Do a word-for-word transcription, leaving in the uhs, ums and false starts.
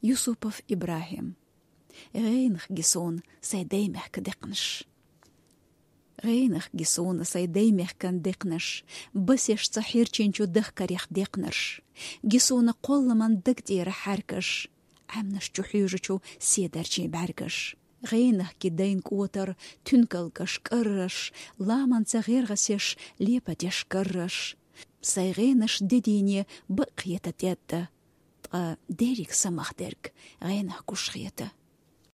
Юсупов Ибрахим. ГӀенах ги суна сай дай-мехка декхнаш. ГӀенах ги суна сай дай-мехкан декхнаш, басеш цу хьерчинчу дахкарех декхнарш. Ги суна кхолламан даг тӀера хьаьркаш, Ӏаьмнаш чу хьуьжачу седарчийн бӀаьргаш. ГӀенах ги дайн кӀотар, туьнкалгаш, кӀарраш, ламанца гӀергӀасеш, лепатеш карраш. Сай гӀенаш де дийне бакъ хета тӀетта, ткъа дерриг самах дерг гӀенах гуш хета.